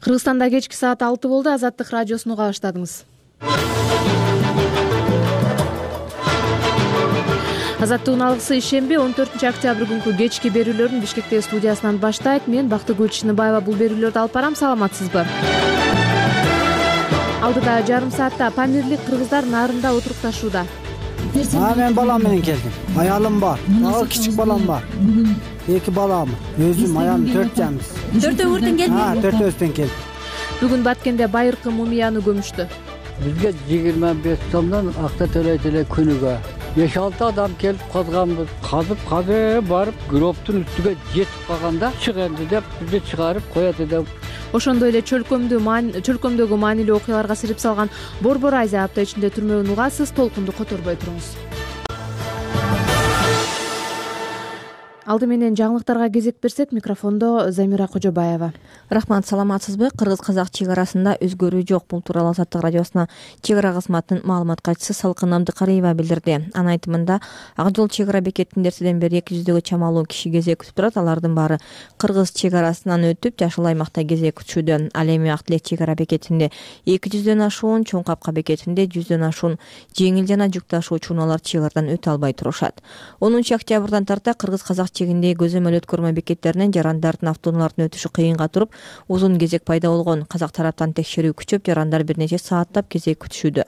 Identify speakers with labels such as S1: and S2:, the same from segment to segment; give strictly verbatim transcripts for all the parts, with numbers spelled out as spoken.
S1: Кыргызстанда кечки саат алты болду. Азаттык радиосуну уга баштадыңыз. Азаттыктын алгысы ишемби он төртүнчү октябрь күнкү кечки берүүлөрүн Бишкектеги студиясынан баштайт. Мен Бактыгүл Чыныбаева бул берүүлөрдү алып барам. Саламатсызбы? Алдыда жарым саатта памирлик кыргыздар нарында отурукташууда.
S2: А мен балам менен келдим. Аялым бар. Дагы кичик балам бар. Эки балам. Өзүм аялым төрт жамбыз.
S3: Төртөөңүздөн келдиңизби?
S2: А, төртөөбүздөн келдик.
S1: Бүгүн Баткенде байыркы мумияны көмүштү.
S4: Бизге жыйырма беш сомдон акча төлөйт эле күнүгө. беш алты адам келип казганбыз. Казып казып барып гроптун үстүгө жетип калганда чык энди деп бизди чыгарып коет деп.
S1: Ошондой эле чөлкөмдү чөлкөмдөгү маанилүү окуяларга сирип салган Борбор Айза апта ичинде түрмөгүн угасыз. Толкунду которбой туруңуз. Алды менен жаңылыктарга кезек берсек, микрофондо Замира Кожобаева.
S3: Рахмат, саламатсызбы? Кыргыз-казак чек арасында өзгөрүү жок. Бул тууралуу Азаттык радиосуна чек ара кызматынын маалымат катчысы Салкын Абдыкариева билдирди. Анын айтымында, Ак Жол чек ара бекетинде эртеден бери эки жүздөгө чамалуу киши кезек күтүп турат. Алардын баары кыргыз чек арасынан өтүп, жашыл аймакта кезек күтүшүүдө. Ал эми Ак Тилек чек ара бекетинде эки жүздөн ашуун, Чоң Капка бекетинде жүздөн ашуун жеңил жана жүк ташуучу унаалар чек арадан өтө албай турушат. онунчу октябрдан тарта кыргыз-казак чегиндеги көзөмөл өткөрмө бекеттеринен жарандардын автоунаалардын өтүшү кыйынга туруп, узун кезек пайда болгон. Казак тараптан текшерүү күчөп, жарандар бир нече сааттап кезек күтүшүүдө.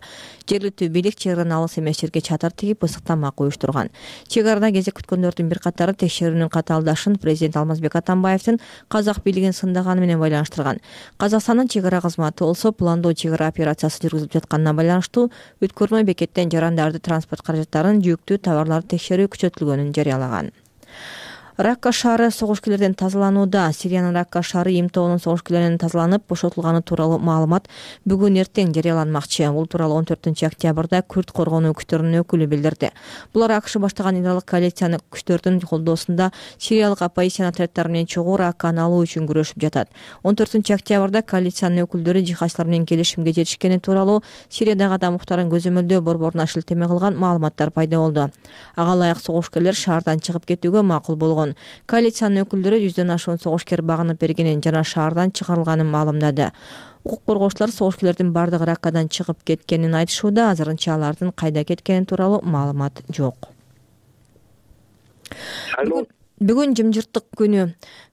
S3: Жергиликтүү бийлик чек арадан алыс эмес жерге чатыр тигип, ысык тамак уюштурган. Чек арада кезек күткөндөрдүн бир катары текшерүүнүн катаалдашын президент Алмазбек Атамбаевдин казак бийлигин сындаганы менен байланыштырган. Казакстандын чек ара кызматы болсо пландоо чек ара операциясы жүргүзүлүп жатканына байланыштуу өткөрмө бекеттен жарандарды транспорт каражаттарын, жүктүү товарларды текшерүү күчөтүлгөнүн жарыялаган. Ракка шаары согушкерлерден тазаланууда. Сириянын Ракка шаары имтоонун согушкерлеринен тазаланып, бошотулганы тууралуу маалымат бүгүн эртең жарыяланмакчы. Бул тууралуу он төртүнчү октябрда Күрд коргонуу күчтөрүнүн өкүлү билдирди. Булар АКШ баштаган иралык коалицияны күчтөрдүн колдоосунда сириялык оппозицион отряддары менен чогуу Ракканы алуу үчүн күрөшүп жатат. он төртүнчү октябрда коалициянын өкүлдөрү жихадчылар менен келишимге жетишкени тууралуу Сириядагы адам укуктарын көзөмөлдөө борборуна шилтеме кылган маалыматтар пайда болду. Ага ылайык согушкерлер шаардан чыгып кетүүгө макул болгон. Коалициянын өкүлдөрү жүздөн ашуун согушкер багынып бергенин жана шаардан чыгарылганын маалымдады. Укук коргоочулар согушкерлердин бардыгы Раккадан чыгып кеткенин айтышууда. Азырынча алардын кайда кеткени тууралуу маалымат жок. Бүгүн жымжырттык күнү.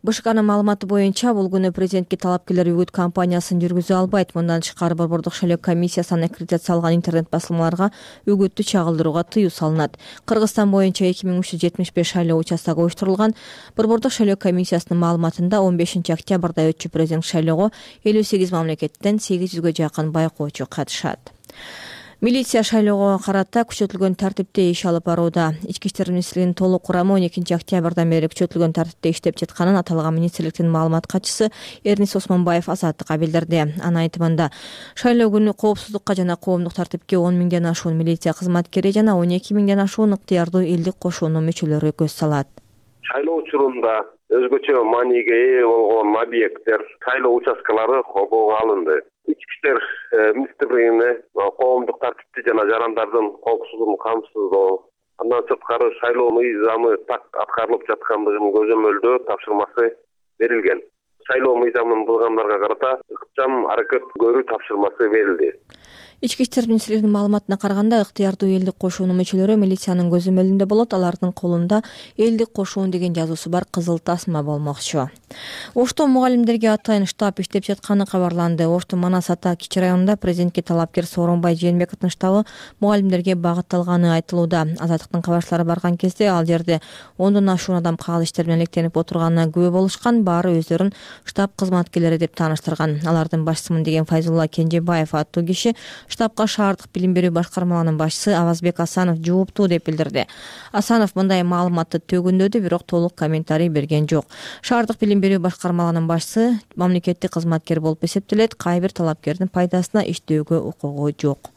S3: БШКнын маалыматы боюнча бул күнү президентке талапкерлер үгүт кампаниясын жүргүзө албайт. Мындан тышкары Борбордук шайлоо комиссиясынан аккредитацияланган интернет басылмаларга үгүттү чагылдырууга тыюу салынат. Кыргызстан боюнча эки миң үч жүз жетимиш беш шайлоо участогу уюштурулган. Борбордук шайлоо комиссиясынын маалыматында он бешинчи октябрда өтчү президент шайлоого элүү сегиз мамлекеттен сегиз жүзгө жакын байкоочу катышат. Милиция шайлоого карата күчөтүлгөн тартипте иш алып барууда. Ички иштер министрлигинин толук курамы он экинчи октябрдан бери күчөтүлгөн тартипте иштеп жатканын аталган министрликтин маалымат катчысы Эрнис Осмонбаев Азаттыкка билдирди. Анын айтымында, шайлоо күнү коопсуздукка жана коомдук тартипке он миңден ашуун милиция кызматкери жана он эки миңден ашуун ыктыярдуу элдик кошуунун мүчөлөрү көз салат.
S5: Шайлоо учурунда өзгөчө мааниге ээ болгон объекттер, шайлоо участкалары коболго алынды. Ички иштер министрлигине коомдук тартипти жана жарандардын коопсуздугун камсыздоо, андан сырткары шайлоо мыйзамы так аткарылып жаткандыгын көзөмөлдөө тапшырмасы берилген. Шайлоо мыйзамын булгандарга карата ыкчам аракет көрүү тапшырмасы берилди.
S3: Ички иштер министрлигинин маалыматына караганда, ыктыярдуу элдик кошуунун мүчөлөрү милициянын көзөмөлүндө болот. Алардын колунда элдик кошуун деген жазуусу бар кызыл тасма болмокчу. Ошто мугалимдерге атайын штаб иштеп жатканы кабарланды. Оштун Манас ата кичи районунда президентке талапкер Сооронбай Жээнбековдун штабы мугалимдерге багытталганы айтылууда. Азаттыктын кабарчылары барган кезде ал жерде ондон ашуун адам кагыл иштер менен электенип отурганына күбө болушкан. Баары өздөрүн штаб кызматкерлери деп тааныштырган. Алардын башчысымын деген Файзулла Кенжебаев аттуу киши штабка шаардык билим берүү башкармаларынын башчысы Авазбек Асанов жооптуу деп билдирди. Асанов мындай маалыматты төгүндөдү, бирок толук комментарий берген жок. Шаардык билим берүү башкармаларынын башчысы мамлекеттик кызматкер болуп эсептелет. Кай бир талапкердин пайдасына иштөөгө укугу жок.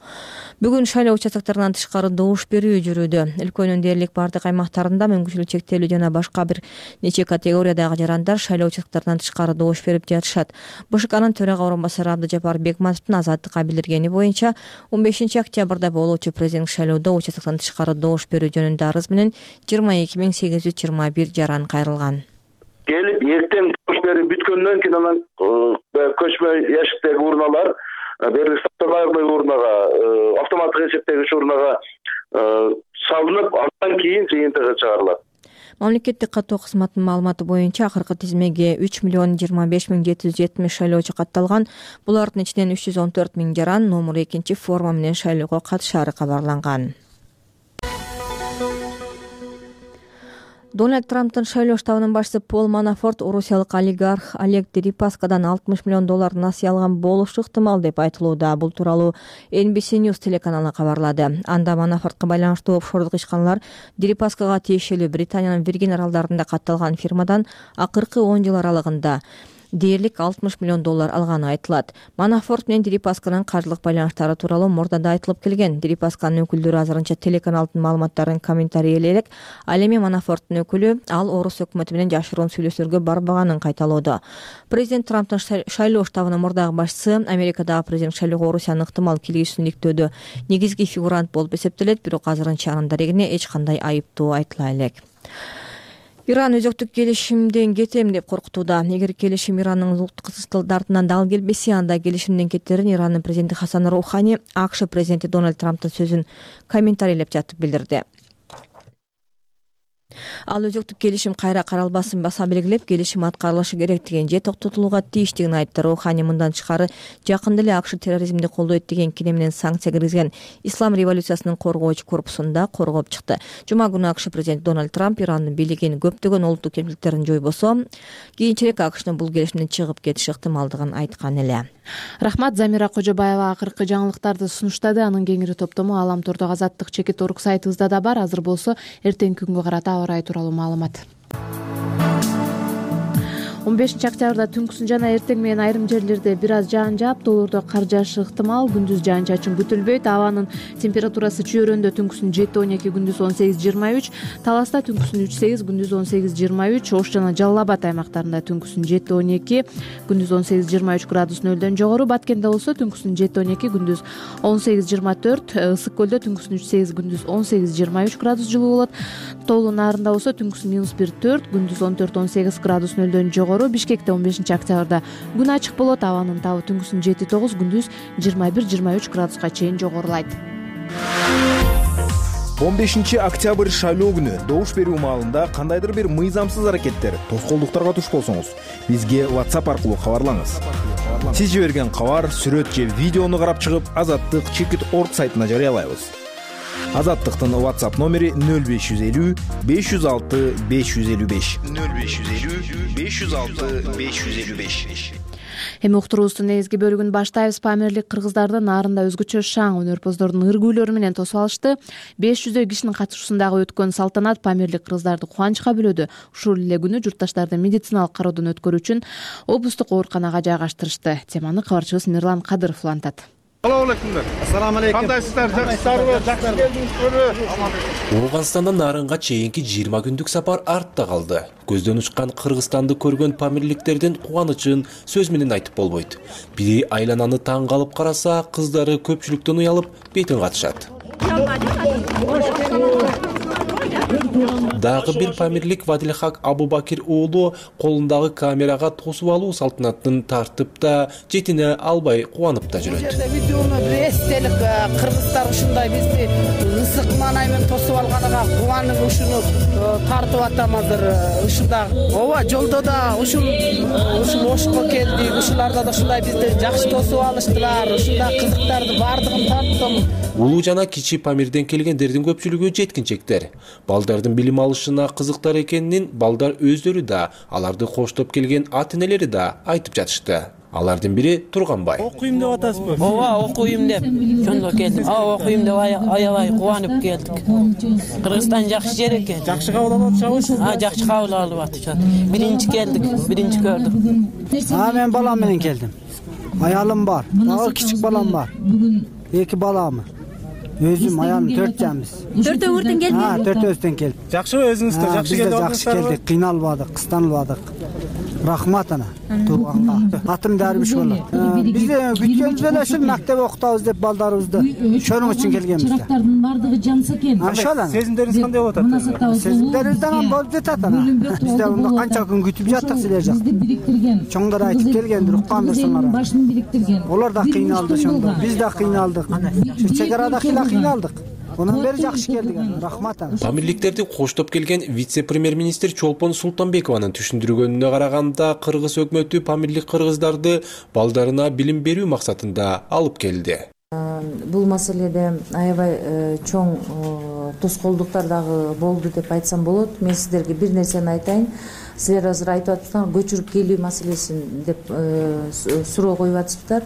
S3: Бүгүн шайлоо участоктарынан тышкары добуш берүү жүрүүдө. Өлкөнүн дээрлик бардык аймактарында мүмкүнчүлүгү чектелүү жана башка бир нече категориядагы жарандар шайлоо участоктарынан тышкары добуш берип жатышат. БШКнын төрага орун басары Абдыжапар Бекматовдун Азаттыкка билдиргени боюнча он бешинчи октябрда болуучу президенттик шайлоодо участоктон тышкары добуш берүү жөнүндө арыз менен жыйырма эки миң сегиз жүз жыйырма бир жаран кайрылган.
S6: Келип эртең добуш берип бүткөндөн кийин анан көчмө ручной ящиктеги урналар бери стационарный урнага, автоматтык эсептегич урнага салынып, андан кийин жыйынтыгы чыгарылат.
S3: Мамлекеттик каттоо кызматынын маалыматы боюнча акыркы тизмеге үч миллион жыйырма беш миң жети жүз жетимиш шайлоочу катталган. Булардын ичинен үч жүз он төрт миң жаран номер экинчи форма менен шайлоого катышаары кабарланган. Дональд Трамптын шайлоо штабынын башчысы Пол Манафорт орусиялык олигарх Олег Дерипаскадан алтымыш миллион доллар насыя алган болушу ыктымал деп айтылууда. Бул тууралуу Эн Би Си News телеканалы кабарлады. Анда Манафортко байланыштуу офшордук ишканалар Дерипаскага тиешелүү Британиянын Виргин аралдарында катталган фирмадан акыркы он жыл аралыгында дээрлик алтымыш миллион доллар алганы айтылат. Манафорт менен Дерипасканын каржылык байланыштары тууралуу мурда айтылып келген. Дерипасканын өкүлдөрү азырынча телеканалдын маалыматтарын комментарий элек. Ал эми Манафорттун өкүлү ал орус өкмөтү менен жашыруун сүйлөшүүлөргө барбаганын кайталоодо. Президент Трамптын шайлоо штабынын мурдагы башчысы Америкадагы президент шайлоого Орусиянын ыктымал киргизүүсүн иликтөөдө негизги фигурант болуп эсептелет, бирок азырынча анын дарегине эч кандай айыптоо айтыла элек. Иран өзөктүк келишимден кетем деп коркутууда. Эгер келишим Иранын улуттук стандартынан дал келбесе, анда келишимден кетерин Ирандын президенти Хасан Роухани АКШ президенти Дональд Трамптын сөзүн комментарийлеп жатып билдирди. Ал өзөктүк келишим кайра каралбасын баса белгилеп, келишим аткарылышы керектигин же токтотулууга тийиштигин айтты. Роухани мындан тышкары жакында эле АКШ терроризмди колдойт деген кине менен санкция киргизген Ислам революциясынын коргоочу корпусунда коргоп чыкты. Жума күнү АКШ президенти Дональд Трамп Ирандын бийлигин көптөгөн улуттук кемчиликтерин жойбосо, кийинчерээк АКШнын бул келишимден чыгып кетиши ыктымалдыгын айткан эле.
S1: Рахмат. Замира Кожобаева акыркы жаңылыктарды сунуштады. Анын кеңири топтому Алам Тордо Азаттык чекит орг сайтыбызда да бар. Азыр болсо эртеңки күнгө карата аба ырайы тууралуу маалымат. он бешинчи октябрда түнкүсүн жана эртең менен айрым жерлерде бир аз жаан жаап, тоолордо кар жаашы ыктымал. Күндүз жаан-чачын күтүлбөйт. Абанын температурасы Чөйрөндө түнкүсүн жети он эки, күндүз он сегиз жыйырма үч, Таласта түнкүсүн үч сегиз, күндүз он сегиз жыйырма үч, Ош жана Жалал Абад аймактарында түнкүсүн жети он эки, күндүз он сегиз жыйырма үч градус нөлдөн жогору. Баткенде болсо түнкүсүн жети он эки, күндүз он сегиз жыйырма төрт, Ысык көлдө түнкүсүн үч сегиз, күндүз он сегиз жыйырма үч градус жылуу болот. Тоолуу Нарында болсо түнкүсүн минус бир төрт, күндүз он төрт он сегиз градус нөлдөн жогору. Бишкекте он бешинчи октябрда күн ачык болот. Абанын табы түнкүсүн жети тогуз, күндүз жыйырма бир жыйырма үч градуска чейин жогорулайт.
S7: он бешинчи октябрь шайлоо күнү добуш берүү маалында кандайдыр бир мыйзамсыз аракеттер, тоскоолдуктарга туш болсоңуз, бизге WhatsApp аркылуу кабарлаңыз. Сиз жиберген кабар, сүрөт же видеону карап чыгып, Азаттык чекит орг сайтына жарыялайбыз. Азаттыктын WhatsApp номери нөл беш жүз элүү беш жүз алты беш жүз элүү беш нөл беш жүз элүү беш жүз алты беш жүз элүү беш.
S1: Эми уктуруубуздун негизги бөлүгүн баштайбыз. Памирлик кыргыздардын Нарында өзгөчө шаң өнөрпоздордун ыргүүлөрү менен тосуп алышты. беш жүздөй кишинин катышуусундагы өткөн салтанат памирлик кыргыздарды кубанычка бөлөдү. Ушул эле күнү журтташтарды медициналык кароодон өткөрүү үчүн облустук ооруканага жайгаштырышты. Теманы кабарчыбыз Мирлан Кадыров улантат.
S8: Салам алейкумдар. Ассаламу алейкум. Кандайсыздар? Жакшысыздарбы? Жакшы келдиңизби?
S9: Ооганстандан Нарынга чейинки жыйырма күндүк сапар артта калды. Көздөн учкан Кыргызстанды көргөн памирликтердин кубанычын сөз менен айтып болбойт. Бири айлананы таң калып караса, кыздары көпчүлүктөн уялып бетин катышат. Дагы бир памирлик Вадилхак Абубакир уулу колундагы камерага тосуп алуу салтанатын тартып да, жетине албай кубанып да жүрөт.
S10: Видеону бир эстелик кыргыздар ушундай бизди ысык маанай менен тосуп алганына кубанып ушуну тартып атам азыр. Ушунда ооба жолдо да ушул ушул Ошко келдик. Ушуларда да ушундай бизди жакшы тосуп алыштылар. Ушунда кызыктарды бардыгын тарттым.
S9: Улуу жана кичи Памирден келгендердин көпчүлүгү жеткинчектер. Балдардын билим алышына кызыктар экенин балдар өздөрү да, аларды коштоп келген ата-энелери да айтып жатышты. Алардын бири Турганбай.
S8: Окуйм деп атасызбы?
S10: Ооба, окуйм деп жөндөп келдим. А, окуйм деп аябай кубанып келдик. Кыргызстан жакшы жер экен.
S8: Жакшы кабыл алып атышабыз?
S10: А, жакшы кабыл алып атышат. Биринчи келдик, биринчи көрдүк.
S2: А, мен балам менен келдим. Аялым бар, дагы кичик балам бар. Эки балам. Өзүм аялым төрт жанбыз.
S3: Төртөөңүздөн келдиңизби?
S2: Ha, төртөөбүздөн келдик.
S8: Жакшыбы өзүңүздөр? Жакшы келдиңиздер?
S2: Жакшы келдик, кыйналбадык, кыстанбадык. рахмат ана тууганга. Атым Дарбиш болот. Биз күткөнбүз эле ушул мектеп окутабыз деп балдарыбызды ошонун үчүн келгенбиз.
S11: Чырактардын бардыгы жанса экен.
S2: Ошол ана.
S8: Сезимдериңиз кандай болуп атат?
S2: Сезимдерибизден болуп жатат ана. Бизде мында канча күн күтүп жаттык силер жак.
S11: Бизди бириктирген.
S2: Чоңдор айтып келгендир, уккандырсыңар.
S11: Башын бириктирген.
S2: Олар да кыйналды ошондо. Биз да кыйналдык. Шу чек арада кыйналдык. Онун бери жакшы келдик. Рахмат ана.
S9: Памирликтерди коштоп келген вице-премьер-министр Чолпон Султанбекованын түшүндүргөнүнө караганда, кыргыз өкмөтү памирлик кыргыздарды балдарына билим берүү максатында алып келди.
S12: Бул маселеде аябай чоң тоскоолдуктар дагы болду деп айтсам болот. Мен сиздерге бир нерсени айтайын. Силер азыр айтып атсыздар, көчүрүп келүү маселесин деп суроо коюп атышыптыр.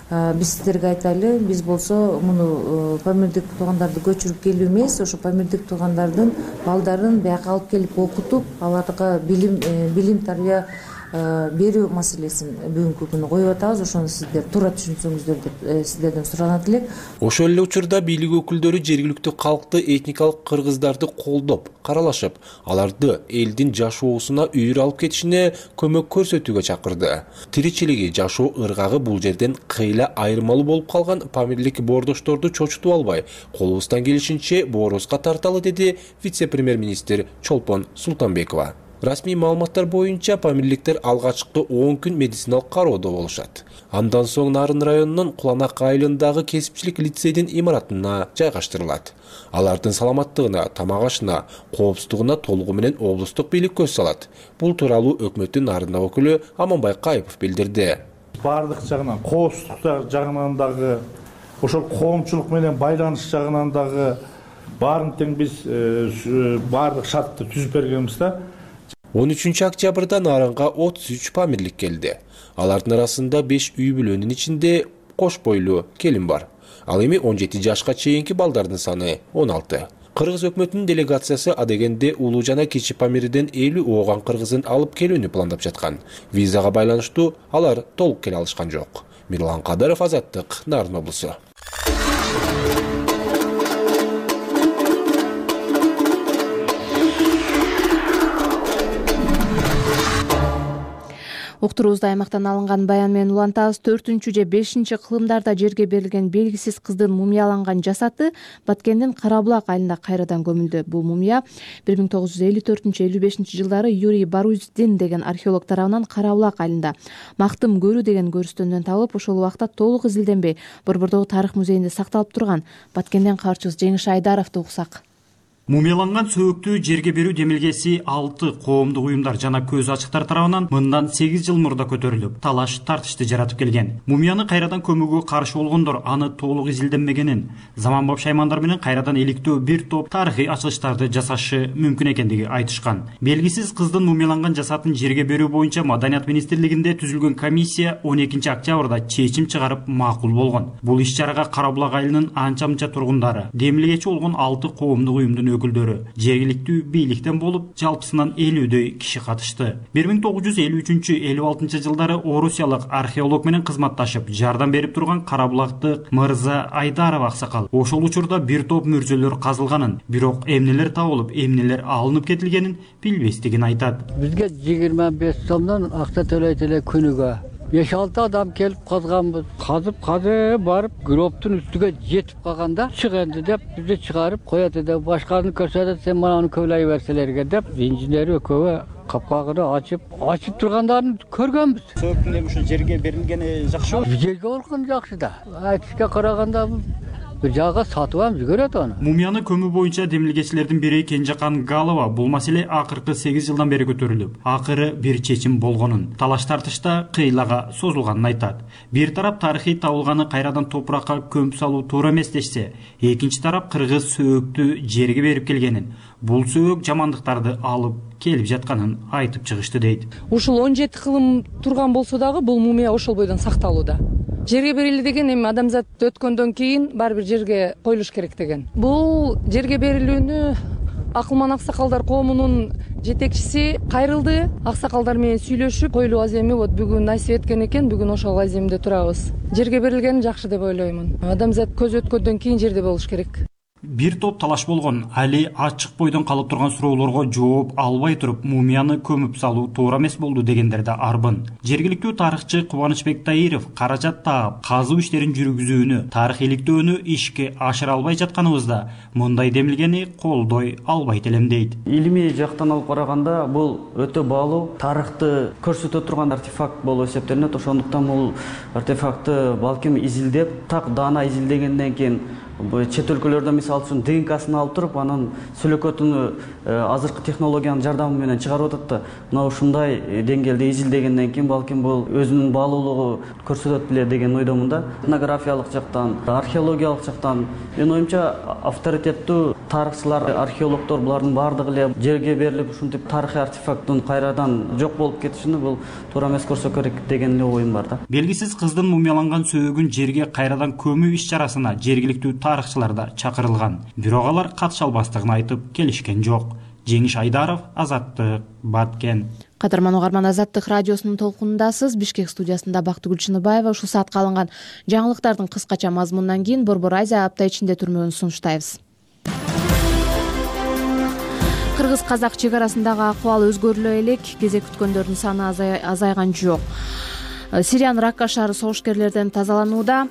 S12: Биз сиздерге айтайлы, биз болсо муну памирдик туугандарды көчүрүп келүү эмес, ошо памирдик туугандардын балдарын бияка алып келип окутуп, аларга билим билим тарбия берүү маселесин бүгүнкү күнү коюп атабыз. Ошону сиздер туура түшүнсөңүздөр деп сиздерден суранат элек.
S9: Ошол эле учурда бийлик өкүлдөрү жергиликтүү калкты, этникалык кыргыздарды колдоп, каралашып, аларды элдин жашоосуна үйүр алып кетишине көмөк көрсөтүүгө чакырды. Тиричилиги, жашоо ыргагы бул жерден кыйла айырмалуу болуп калган памирлик боордошторду чочутуп албай, колубуздан келишинче боорубузга тарталы, деди вице-премьер-министр Чолпон Султанбекова. Расмий маалыматтар боюнча памирликтер алгачкы он күн медициналык кароодо болушат. Андан соң Нарын районунун Куланак айылындагы кесипчилик лицейдин имаратына жайгаштырылат. Алардын саламаттыгына, тамак ашына, коопсуздугуна толугу менен облустук бийлик көз салат. Бул тууралуу өкмөттүн Нарында өкүлү Аманбай Кайыпов билдирди.
S8: Бардык жагынан, коопсуздук жагынан дагы, ошол коомчулук менен байланыш жагынан дагы баарын тең биз бардык шартты түзүп бергенбиз да.
S9: он үчүнчү октябрда Нарынга отуз үч памирлик келди. Алардын арасында беш үй бүлөнүн ичинде кош бойлуу келин бар. Ал эми он жети жашка чейинки балдардын саны он алты. Кыргыз өкмөтүнүн делегациясы адегенде улуу жана кичи памирден элүү ооган кыргызын алып келүүнү пландап жаткан. Визага байланыштуу алар толук келе алышкан жок. Мирлан Кадыров, Азаттык, Нарын облусу.
S1: Уктуруубузду аймактан алынган баян менен улантабыз. төртүнчү же бешинчи кылымдарда жерге берилген белгисиз кыздын мумияланган жасаты Баткендин Карабулак айылында кайрадан көмүлдү. Бул мумия бир миң тогуз жүз элүү төртүнчү элүү бешинчи жылдары Юрий Баруздин деген археолог тарабынан Карабулак айылында Мактым көрүү деген көрүстөндөн табылып, ошол убакта толук изилденбей Борбордогу тарых музейинде сакталып турган. Баткенден кабарчыбыз Жеңиш Айдаровду уксак.
S13: Мумияланган сөөктү жерге берүү демилгеси алты коомдук уюмдар жана көз ачыктар тарабынан мындан сегиз жыл мурда көтөрүлүп, талаш тартышты жаратып келген. Мумияны кайрадан көмүүгө каршы болгондор аны толук изилденмегенин, заманбап шаймандар менен кайрадан иликтөө бир топ тарыхый ачылыштарды жасашы мүмкүн экендиги айтышкан. Белгисиз кыздын мумияланган жасатын жерге берүү боюнча Маданият министрлигинде түзүлгөн комиссия он экинчи октябрда чечим чыгарып макул болгон. Бул иш-чарага Карабулак айылынын анча-мынча тургундары, демилгечи болгон алты коомдук уюмдун өкүлдөрү, жергиликтүү бийликтен болуп, жалпысынан элүүдөй киши катышты. бир миң тогуз жүз элүү үчүнчү элүү алтынчы жылдары орусиялык археолог менен кызматташып, жардам берип турган Карабулактык Мырза Айдаров аксакал ошол учурда бир топ мүрзөлөр казылганын, бирок эмнелер табылып, эмнелер алынып кетилгенин билбестигин айтат.
S4: Бизге жыйырма беш сомдон акча төлөйт эле күнүгө. беш алты адам келип казганбыз. Казып казып барып, гробтун үстүгө жетип калганда чык энди деп бизди чыгарып коет деп башканы көрсөтөт, сен мананы көбүлөй берселерге деп инженер экөө капкагын ачып, ачып тургандарын көргөнбүз.
S14: Сөөктүн эми ушул жерге берилгени жакшыбы?
S4: Жерге болгон жакшы да. Айтышка караганда бир жага сатып алып жүгөрөт аны.
S13: Мумияны көмүү боюнча демилгечилердин бири Кенжекан Галова бул маселе акыркы сегиз жылдан бери көтөрүлүп, акыры бир чечим болгонун, талаш тартышта кыйлага созулганын айтат. Бир тарап тарыхый табылганы кайрадан топуракка көмүп салуу туура эмес дешсе, экинчи тарап кыргыз сөөктү жерге берип келгенин, бул сөөк жамандыктарды алып келип жатканын айтып чыгышты дейт.
S15: Ушул он жети кылым турган болсо дагы бул мумия ошол бойдон сакталууда. Жерге берилди деген эми адамзат өткөндөн кийин баары бир жерге коюлуш керек деген. Бул жерге берилүүнү Акылман аксакалдар коомунун жетекчиси кайрылды. Аксакалдар менен сүйлөшүп, коюлуу аземи вот бүгүн насип эткен экен, бүгүн ошол аземде турабыз. Жерге берилгени жакшы деп ойлоймун. Адамзат көз өткөндөн кийин жерде болуш керек.
S13: бир топ талаш болгон. Али ачык бойдон калып турган суроолорго жооп албай туруп мумияны көмүп салуу туура эмес болду дегендер да арбын. Жергиликтүү тарыхчы Кубанычбек Таиров каражат таап казуу иштерин жүргүзүүнү, тарых иликтөөнү ишке ашыра албай жатканыбызда мындай демилгени колдой албайт элем дейт.
S16: Илимий жактан алып караганда бул өтө баалуу тарыхты көрсөтө турган артефакт болуп эсептелинет. Ошондуктан бул артефактты балким изилдеп, так даана изилдегенден кийин чет өлкөлөрдөн мисалы үчүн ДНКсын алып туруп, анын сүлөкөтүн азыркы технологиянын жардамы менен чыгарып атат да. Мына ушундай деңгээлде изилдегенден кийин балким бул өзүнүн баалуулугу көрсөтөт беле деген ойдомун да. Этнографиялык жактан, археологиялык жактан менин оюмча авторитеттүү тарыхчылар, археологдор булардын баардыгы эле жерге берилип ушинтип тарыхый артефакттын кайрадан жок болуп кетишини бул туура эмес көрсө керек деген эле оюм бар да.
S13: Белгисиз кыздын мумияланган сөөгүн жерге кайрадан көмүү иш-чарасына жергиликтүү тарыхчылар да чакырылган. Бирок алар катыша албастыгын айтып келишкен жок. Жеңиш Айдаров, Азаттык, Баткен.
S1: Кадырман угарман, Азаттык радиосунун толкунундасыз. Бишкек студиясында Бактыгүл Чыныбаева. Ушул саатка алынган жаңылыктардын кыскача мазмунунан кийин Борбор Азия апта ичинде түрмөгүн сунуштайбыз. Кыргыз-казак чек арасындагы акыбал өзгөрүлө элек, кезек күткөндөрдүн саны азайган жок. Сириянын Ракка шаары согушкерлерден тазаланууда.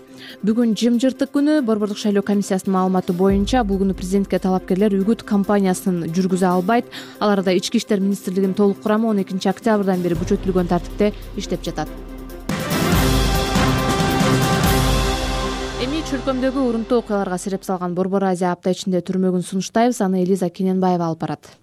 S1: Бүгүн жымжыртык күнү. Борбордук шайлоо комиссиясынын маалыматы боюнча бул күнү президентке талапкерлер үгүт кампаниясын жүргүзө албайт. Аларда Ички иштер министрлигинин толук курамы он экинчи октябрдан бери күчөтүлгөн тартипте иштеп жатат. Эми чөлкөмдөгү урунтуу окуяларга сереп салган Борбор Азия апта ичинде түрмөгүн сунуштайбыз. Аны Элиза Кененбаева алып барат.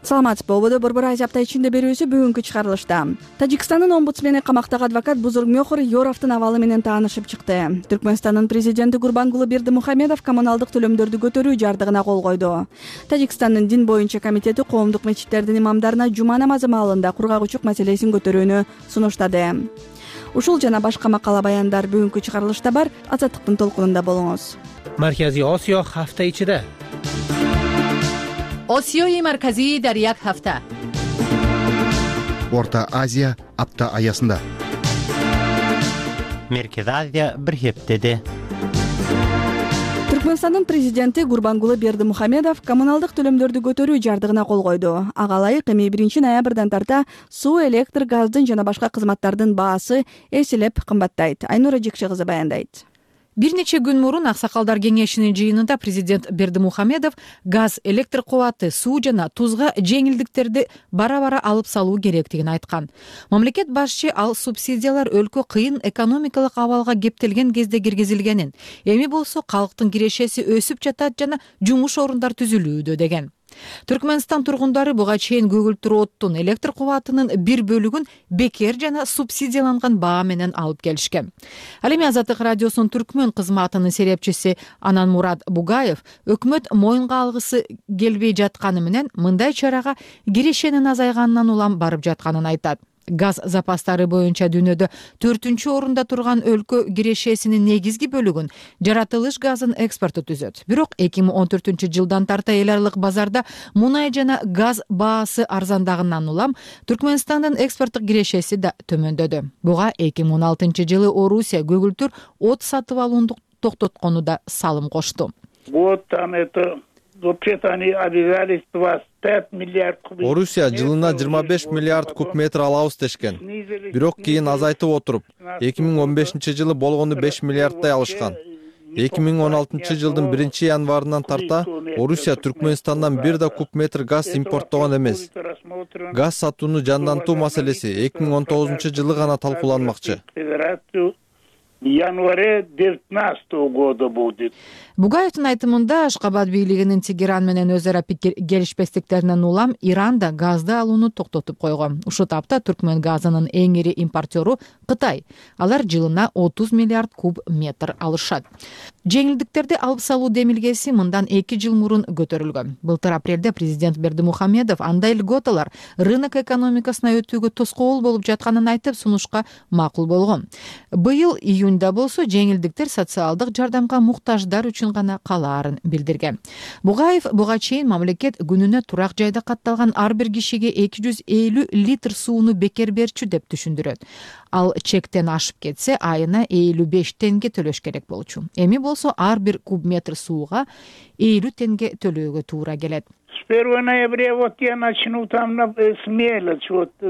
S17: Саламатсызбы, ободо Борбор Азия апта ичинде берүүсү бүгүнкү чыгарылышта. Тажикстандын омбудсмени камактагы адвокат Бузургмёхор Ёровдун абалы менен таанышып чыкты. Түркмөнстандын президенти Гурбангулы Бердимухамедов коммуналдык төлөмдөрдү көтөрүү жардыгына кол койду. Тажикстандын дин боюнча комитети коомдук мечиттердин имамдарына жума намазы маалында кургагучук маселесин көтөрүүнү сунуштады. Ушул жана башка макала баяндар бүгүнкү чыгарылышта бар. Азаттыктын толкунунда болуңуз.
S18: Марказий Осиё hafta ichida.
S19: Осиёи марказии дар як ҳафта.
S20: Орта Азия апта аясында.
S18: Меркез Азия бир хептеде.
S17: Түркмөнстандын президенти Гурбангулы Бердимухамедов коммуналдык төлөмдөрдү көтөрүү жардыгына кол койду. Ага ылайык эми биринчи ноябрдан тарта суу, электр, газдын жана башка кызматтардын баасы эселеп кымбаттайт. Айнура Жекше кызы баяндайт.
S19: Бир нече күн мурун Аксакалдар кеңешинин жыйынында президент Бердимухамедов газ, электр кубаты, суу жана тузга жеңилдиктерди бара-бара алып салуу керектигин айткан. Мамлекет башчы ал субсидиялар өлкө кыйын экономикалык абалга кептелген кезде киргизилгенин, эми болсо калктын кирешеси өсүп жатат жана жумуш орундар түзүлүүдө деген. Түркмөнстан тургундары буга чейин көгүлтүр оттун, электр кубатынын бир бөлүгүн бекер жана субсидияланган баа менен алып келишкен. Ал эми Азаттык радиосунун түркмөн кызматынын серепчиси Ананмурат Бугаев өкмөт моюнга алгысы келбей жатканы менен мындай чарага кирешенин азайганынан улам барып жатканын айтат. Газ запастары боюнча дүйнөдө төртүнчү орунда турган өлкө кирешесинин негизги бөлүгүн жаратылыш газын экспорту түзөт. Бирок эки миң он төртүнчү жылдан тарта эл аралык базарда мунай жана газ баасы арзандагынан улам Түркмөнстандын экспорттук кирешеси да төмөндөдү. Буга эки миң он алтынчы жылы Орусия көгүлтүр от сатып алууну токтоткону да салым кошту.
S21: Вот там это вообще-то они обязались двадцать пять миллиард кубов.
S22: Орусия жылына жыйырма беш миллиард куб метр алабыз дешкен. Бирок кийин азайтып отуруп, эки миң он бешинчи жылы болгону беш миллиардтай алышкан. эки миң он алтынчы жылдын биринчи январынан тарта Орусия Түркмөнстандан бир да куб метр газ импорттогон эмес. Газ сатууну жандантуу маселеси эки миң он тогузунчу жылы гана талкууланмакчы.
S21: январе девятнадцатого года будет.
S19: Бугаевдин айтымында Ашкабад бийлигинин Тегеран менен өз ара пикир келишпестиктеринен улам Иран да газды алууну токтотуп койгон. Ушул тапта Түркмөн газынын эң ири импортеру Кытай. Алар жылына отуз миллиард куб метр алышат. жеңилдиктерди алып салуу демилгеси мындан эки жыл мурун көтөрүлгөн. Былтыр апрелде президент Бердимухамедов андай льготалар рынок экономикасына өтүүгө тоскоол болуп жатканын айтып, сунушка макул болгон. Быйыл июнда болсо жеңилдиктер социалдык жардамга муктаждар үчүн гана калаарын билдирген. Бугаев буга чейин мамлекет күнүнө турак жайда катталган ар бир кишиге эки жүз элүү литр сууну бекер берчү деп түшүндүрөт. Ал чектен ашып кетсе, айына элүү беш тенге төлөш керек болчу. Эми болсо ар бир куб метр сууга элүү тенге төлөөгө туура келет.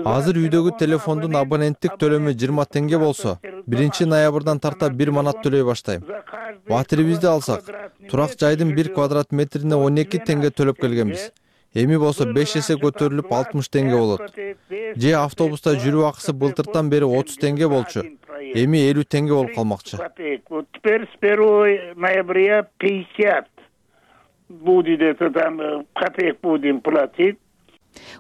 S22: Азыр үйдөгү телефондун абоненттик төлөмү жыйырма тенге болсо, биринчи ноябрдан тарта бир манат төлөй баштайм. Батирибизди алсак, турак жайдын бир квадрат метрине он эки тенге төлөп келгенбиз. Эми болсо беш эсе көтөрүлүп алтымыш тенге болот. Же автобуста жүрүү акысы былтыртан бери отуз тенге болчу. Эми элүү тенге болуп калмакчы.
S21: Теперь с первого ноября пятьдесят будет, это там копеек будем платить.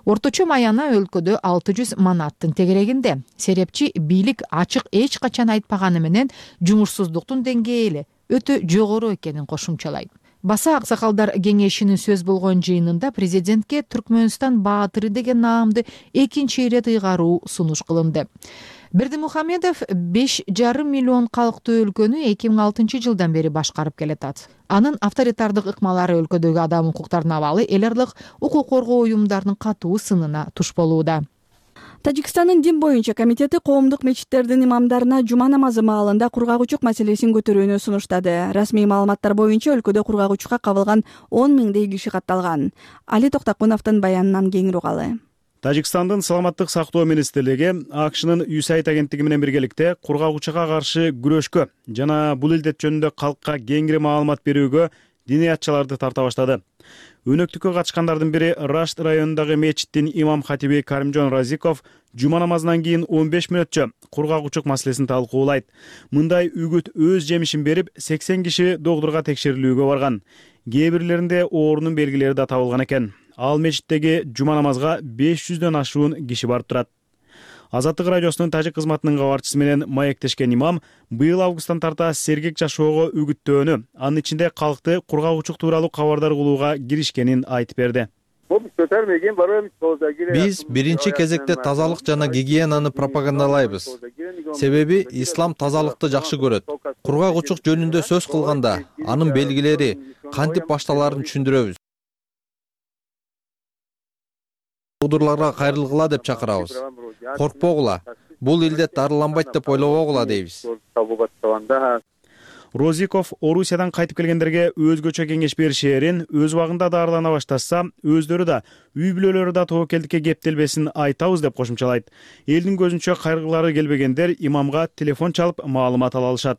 S19: Орточо маяна өлкөдө алты жүз манаттын тегерегинде. Серепчи бийлик ачык эч качан айтпаганы менен жумушсуздуктун деңгээли өтө жогору экенин кошумчалайт. Баса аксакалдар кеңешинин сөз болгон жыйынында президентке Түркмөнстан баатыры деген наамды экинчи ирет ыйгаруу сунуш кылынды. Бердимухамедов беш жарым миллион калктуу өлкөнү эки миң алтынчы жылдан бери башкарып келатат. Анын авторитардык ыкмалары өлкөдөгү адам укуктарына абалы эл аралык укук коргоо уюмдарынын катуу сынына туш болууда.
S17: Тажикстандын дин боюнча комитети коомдук мечиттердин имамдарына жума намазы маалында кургагучук маселесин көтөрүүнү сунуштады. Расмий маалыматтар боюнча өлкөдө кургагучукка кабылган он миңдей киши катталган. Али Токтакуновдун баянынан кеңири угалы.
S14: Тажикстандын саламаттык сактоо министрлиги АКШнын ю эс эй ай ди агенттиги менен биргеликте кургагучуга каршы күрөшкө жана бул илдет жөнүндө калкка кеңири маалымат берүүгө диниятчыларды тарта баштады. Өнөктүккө катышкандардын бири Рашт районундагы мечиттин имам хатиби Каримжон Разиков жума намазынан кийин он беш мүнөтчө кургагучук маселесин талкуулайт. Мындай үгүт өз жемишин берип, сексен киши доктурга текшерилүүгө барган. Кээ бирлеринде оорунун белгилери да табылган экен. Ал мечиттеги жума намазга беш жүздөн ашуун киши барып турат. Азаттык радиосунун тажик кызматынын кабарчысы менен маектешкен имам быйыл августтан тарта сергек жашоого үгүттөөнү, анын ичинде калкты кургагучук тууралуу кабардар кылууга киришкенин айтып берди.
S22: Биз биринчи кезекте тазалык жана гигиенаны пропагандалайбыз. Себеби ислам тазалыкты жакшы көрөт. Кургагучук жөнүндө сөз кылганда анын белгилери, кантип башталаарын түшүндүрөбүз. Доктурларга кайрылгыла деп чакырабыз. Коркпогула, бул илдет дарыланбайт деп ойлобогула дейбиз.
S14: Розиков Орусиядан кайтып келгендерге өзгөчө кеңеш беришээрин, өз убагында дарылана башташса, өздөрү да үй бүлөлөрү да тобокелдикке кептелбесин айтабыз деп кошумчалайт. Элдин көзүнчө кайрылгылары келбегендер имамга телефон чалып маалымат ала алышат.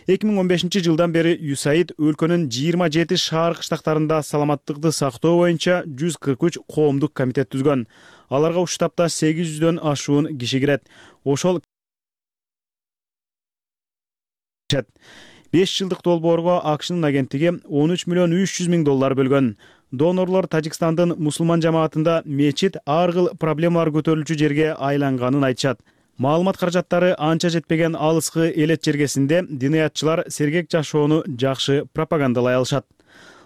S14: эки миң он бешинчи жылдан бери ю эс эй ай ди өлкөнүн жыйырма жети шаар кыштактарында саламаттыкты сактоо боюнча жүз кырк үч коомдук комитет түзгөн. Аларга ушул таапта сегиз жүздөн ашуун киши кирет. Ошол беш жылдык долбоорго АКШнын агенттиги он үч миллион үч жүз миң доллар бөлгөн. Донорлор Тажикстандын мусулман жамаатында мечит ар кыл проблемалар көтөрүлчү жерге айланганын айтышат. Маалымат каражаттары анча жетпеген алыскы элет жергесинде диниятчылар сергек жашоону жакшы пропагандалай алышат.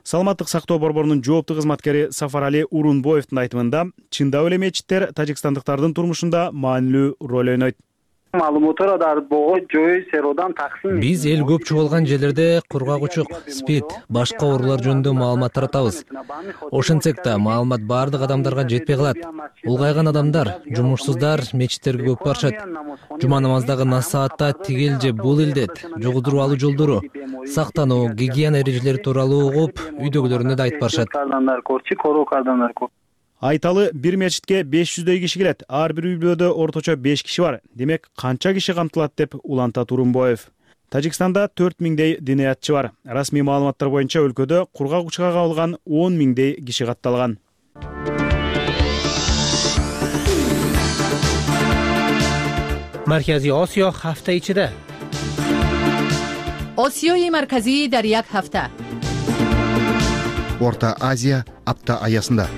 S14: Саламаттык сактоо борборунун жооптуу кызматкери Сафарали Урунбоевдун айтымында, чындап эле мечиттер тажикстандыктардын турмушунда маанилүү роль ойнойт.
S5: Биз эл көп чогулган жерлерде кургагучук, спид, башка оорулар жөнүндө маалымат таратабыз. Ошентсек да маалымат баардык адамдарга жетпей калат. Улгайган адамдар, жумушсуздар мечиттерге көп барышат. Жума намаздагы нас саатта тигил же бул илдет жугудуруп алуу жолдору, сактануу, гигиена эрежелери тууралуу угуп, үйдөгүлөрүнө да айтып барышат.
S14: Айталы бир мечитке беш жүздөй киши келет. Ар бир үй бүлөдө орточо беш киши бар. Демек, канча киши камтылат деп уланта Турунбоев. Тажикстанда төрт миңдей диниятчы бар. Расмий маалыматтар боюнча өлкөдө кургагучуга кабылган он миңдей киши катталган.
S18: Маркази Осиё ҳафта ичида.
S19: Осиёи марказӣ дар як ҳафта.
S20: Орта Азия апта аясында.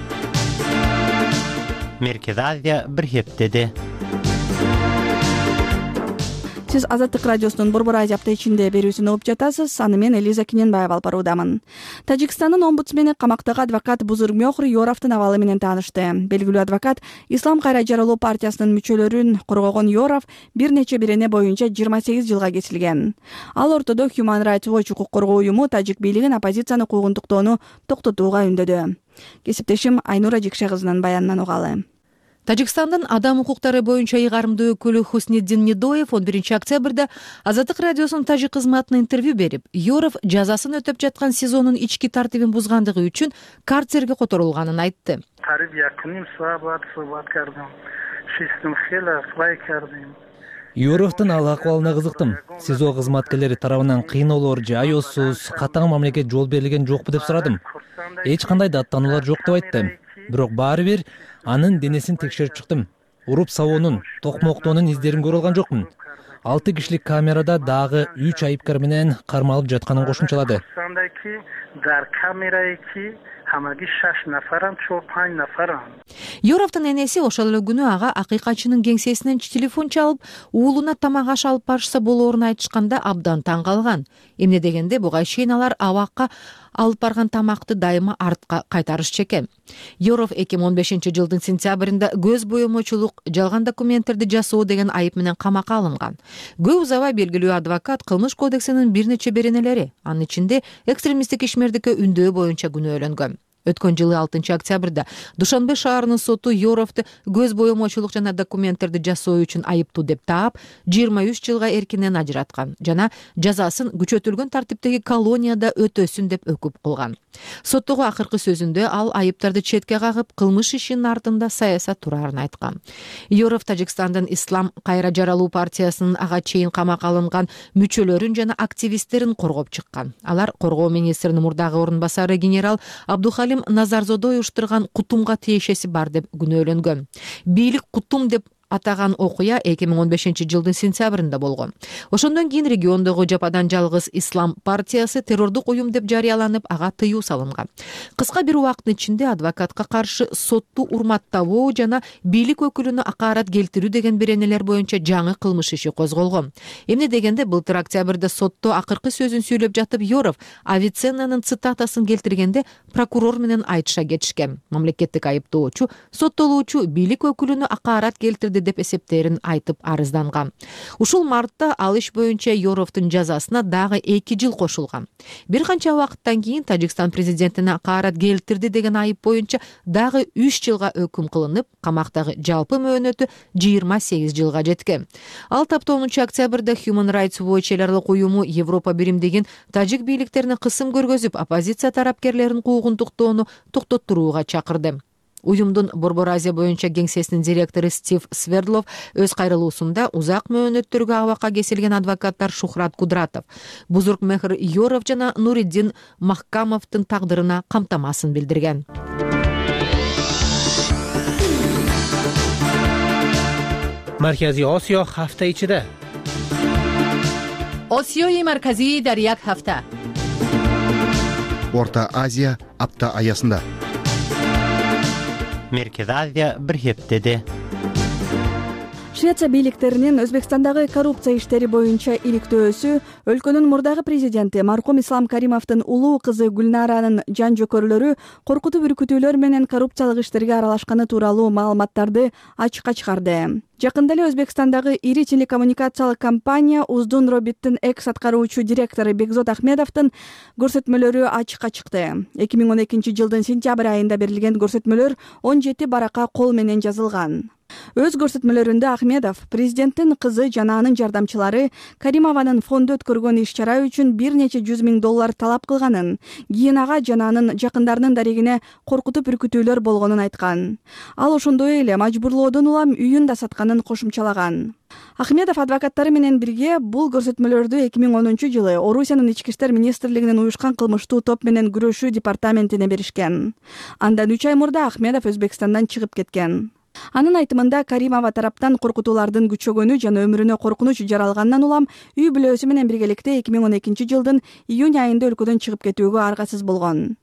S18: Меркез Азия бир ҳептеде.
S17: сиз Азаттык радиосунун Борбор Азия апта ичинде берүүсүн угуп жатасыз. Аны мен Элиза Кененбаева алып баруудамын. Тажикстандын омбудсмени камактагы адвокат Бузургмёхор Йоровдун абалы менен таанышты. Белгилүү адвокат Ислам кайра жаралуу партиясынын мүчөлөрүн коргогон Йоров бир нече бирене боюнча жыйырма сегиз жылга кесилген. Ал ортодо Human Rights Watch укук коргоо уюму тажик бийлигин оппозицияны куугунтуктоону токтотууга үндөдү. Кесиптешим Айнура Жикше кызынын баянынан угалы.
S19: Тажикстандын адам укуктары боюнча ыйгарымдуу өкүлү Хусниддин Недоев он биринчи октябрда Азаттык радиосунун тажик кызматына интервью берип, Йоров жазасын өтөп жаткан СИЗОнун ички тартибин бузгандыгы үчүн карцерге которулганын айтты.
S5: Йоровдун ал акыбалына кызыктым. СИЗО кызматкерлери тарабынан кыйноолор же аеосуз, катаң мамлекет жол берилген жокпу деп сурадым. Эч кандай даттануулар жок деп айтты. Бирок баары бир анын денесин текшерип чыктым. Уруп сабоонун, токмоктоонун издерин көрө алган жокмун. Алты кишилик камерада дагы үч айыпкар менен кармалып жатканын кошумчалады.
S19: Йоровдун энеси ошол эле күнү ага акыйкатчынын кеңсесинен телефон чалып, уулуна тамак аш алып барышса болоорун айтышканда абдан таң калган. Эмне дегенде буга чейин алар абакка алып барган тамакты дайыма артка кайтарышчу экен. Йоров эки миң он бешинчи жылдын сентябрында көз боемочулук, жалган документтерди жасоо деген айып менен камакка алынган. Көп узабай белгилүү адвокат кылмыш кодексинин бир нече беренелери, анын ичинде экстремисттик ишмердикке үндөө боюнча күнөөлөнгөн. Өткөн жылы алтынчы октябрда Душанбе шаарынын соту Йоровду көз боемочулук жана документтерди жасоо үчүн айыптуу деп таап, жыйырма үч жылга эркинен ажыраткан жана жазасын күчөтүлгөн тартиптеги колонияда өтөсүн деп өкүп кылган. Соттогу акыркы сөзүндө ал айыптарды четке кагып, кылмыш ишинин артында саясат турарын айткан. Йоров Тажикстандын Ислам кайра жаралуу партиясынын ага чейин камакка алынган мүчөлөрүн жана активисттерин коргоп чыккан. Алар коргоо министринин мурдагы орун басары генерал Абдухалим Назарзодой уюштурган кутумга тиешеси бар деп күнөөлөнгөн. Бийлик кутум деп атаган окуя эки миң он бешинчи жылдын сентябрында болгон. Ошондон кийин региондогу жападан жалгыз Ислам партиясы террордук уюм деп жарыяланып, ага тыюу салынган. Кыска бир убакыттын ичинде адвокатка каршы сотту урматтабоо жана бийлик өкүлүнө акаарат келтирүү деген беренелер боюнча жаңы кылмыш иши козголгон. Эмне дегенде былтыр октябрда сотто акыркы сөзүн сүйлөп жатып, Йоров Авиценнанын цитатасын келтиргенде прокурор менен айтыша кетишкен. Мамлекеттик айыптоочу соттолуучу бийлик өкүлүнө акаарат келтирди деп эсептерин айтып арызданган. Ушул мартта ал иш боюнча Йоровдун жазасына дагы эки жыл кошулган. Бир канча убакыттан кийин Тажикстан президентине акаарат келтирди деген айып боюнча дагы үч жылга өкүм кылынып, камактагы жалпы мөөнөтү жыйырма сегиз жылга жеткен. Ал тапта онунчу октябрда Human Rights Watch эл аралык уюму Европа биримдигин тажик бийликтерине кысым көргөзүп, оппозиция тарапкерлерин куугунтуктоону токтоттурууга чакырды. Уюмдун Борбор Азия боюнча кеңсесинин директору Стив Свердлов өз кайрылуусунда узак мөөнөттөргө абакка кесилген адвокаттар Шухрат Кудратов, Бузургмехр Йоров жана Нуриддин Махкамовдун тагдырына камтамасын билдирген.
S18: Марказий Осиё ҳафта ичида.
S19: Осиёи марказии дар як ҳафта.
S20: Орта Азия апта аясында.
S18: Меркези Азия бир хептеде.
S17: Швеция бийликтеринин Өзбекстандагы коррупция иштери боюнча иликтөөсү өлкөнүн мурдагы президенти маркум Ислам Каримовдун улуу кызы Гүлнаранын жан жөкөрлөрү коркутуп үркүтүүлөр менен коррупциялык иштерге аралашканы тууралуу маалыматтарды ачыкка чыгарды. Жакында эле Өзбекстандагы ири телекоммуникациялык компания Уздун Робиттин экс аткаруучу директору Бекзод Ахмедовдун көрсөтмөлөрү ачыкка чыкты. эки миң он экинчи жылдын сентябрь айында берилген көрсөтмөлөр он жети баракка кол менен жазылган. Өз көрсөтмөлөрүндө Ахмедов президенттин кызы жана анын жардамчылары Каримованын фонду өткөргөн иш-чара үчүн бир нече жүз миң доллар талап кылганын, кийин ага жана анын жакындарынын дарегине коркутуп үркүтүүлөр болгонун айткан. Ал ошондой эле мажбурлоодон улам үйүн да сатканын кошумчалаган. Ахмедов адвокаттары менен бирге бул көрсөтмөлөрдү эки миң онунчу жылы Орусиянын ички иштер министрлигинин уюшкан кылмыштуу топ менен күрөшүү департаментине беришкен. Андан үч ай мурда Ахмедов Өзбекстандан чыгып кеткен. Анын айтымында Каримова тараптан коркутуулардын күчөгөнү жана өмүрүнө коркунуч жаралгандан улам үй бүлөсү менен биргеликте эки миң он экинчи жылдын июнь айында өлкөдөн чыгып кетүүгө аргасыз болгон.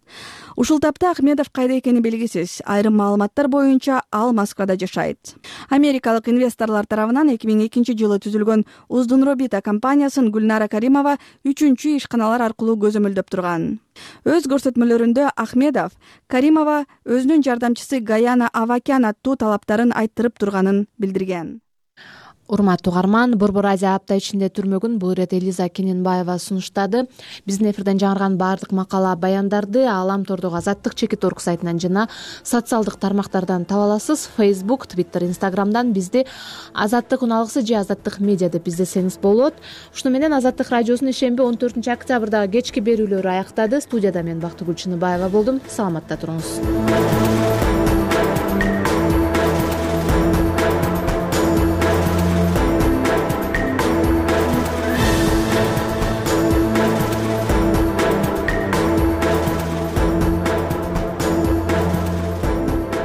S17: Ушул тапта Ахмедов кайда экени белгисиз. Айрым маалыматтар боюнча ал Москвада жашайт. Америкалык инвесторлор тарабынан эки миң экинчи жылы түзүлгөн Уздунробита компаниясын Гүлнара Каримова үчүнчү ишканалар аркылуу көзөмөлдөп турган. Өз көрсөтмөлөрүндө Ахмедов Каримова өзүнүн жардамчысы Гаяна Авакян аттуу талаптарын айттырып турганын билдирген.
S1: Урматтуу угарман, Борбор Азия апта ичинде түрмөгүн бул ирет Элиза Кененбаева сунуштады. Биздин эфирден жаңырган баардык макала баяндарды Алам тордогу Азаттык чекит орг сайтынан жана социалдык тармактардан таба аласыз. Facebook, Twitter, Instagramдан бизди Азаттык уналгысы же Азаттык медиа деп издесеңиз болот. Ушуну менен Азаттык радиосунун ишемби он төртүнчү октябрдагы кечки берүүлөрү аяктады. Студияда мен Бактыгүл Чыныбаева болдум. Саламатта туруңуз.